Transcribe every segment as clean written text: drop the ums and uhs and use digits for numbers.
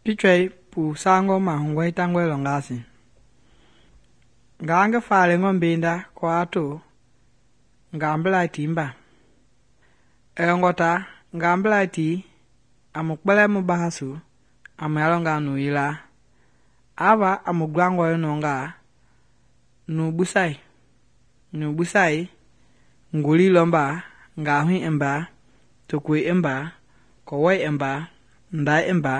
Pichɔi pu sangɔ mahugɔ hitangɔe lɔ ngasi. Ngaa ngi faale ngɔ mbenda kɔ a to ngambelai timba. Ngɔta ngambelai ti a mu kpɛlɛ mu bahasu a mu yalɔ nga nu yila. Ava a mu glangɔe nɔnga nu busai ngoli lɔmba ngahui imba, tokoi imba, kɔwɔi imba, ndai imba.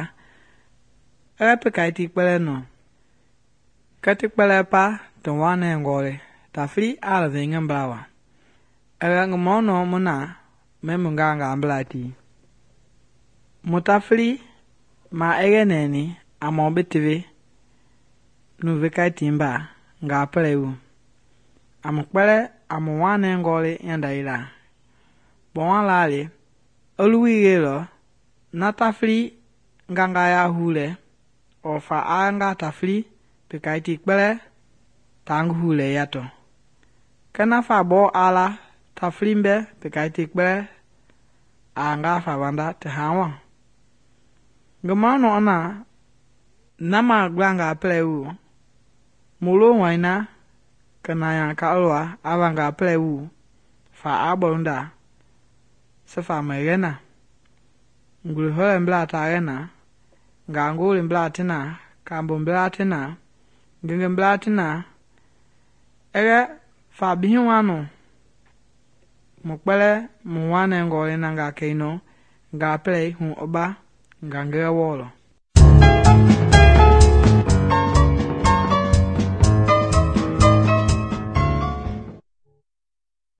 Pekai ti kpɛlɛ nɔ. Kɛti kpɛlɛ pa ti wanɛ ngɔlɛ tafili a lɔvei ngi mblawa. Ngi mɔnɔ mu na mɛ mu nga ngambelai ti. Mu tafili ma nɛni a mɔ bi tewe nu vekai timba nga pɛlɛ wu. A mu kpɛlɛ a mu wanɛ ngɔlɛ yanda yila. Kpɔma lali oluwi yelɔ na tafili nganga ya hulɛ ɔfa a nga tafili pekai ti kpɛlɛ ta ngi hulɛ yatɔ. Kɛna fa bɔ a la tafili mbɛ pekai ti kpɛlɛ a nga fa banda ti hawa. Ngi mɔnɔ na na ma gla nga pɛlɛ wu. Mu lo waina kena ya ka lwa ava nga pɛlɛ wu fa a bɔlunda sefa mɛ yɛna. Nguli hɔlɛ mbla ta yɛna. Nga ngoli mbla tina, kambo mbla tina, ngenge mbla tina. Fa bihi wano mu kpɛlɛ mu wanɛ ngɔlɛ na nga kɛinɔ nga pɛlɛ hu ɔba nga ngɛ wɔlɔ.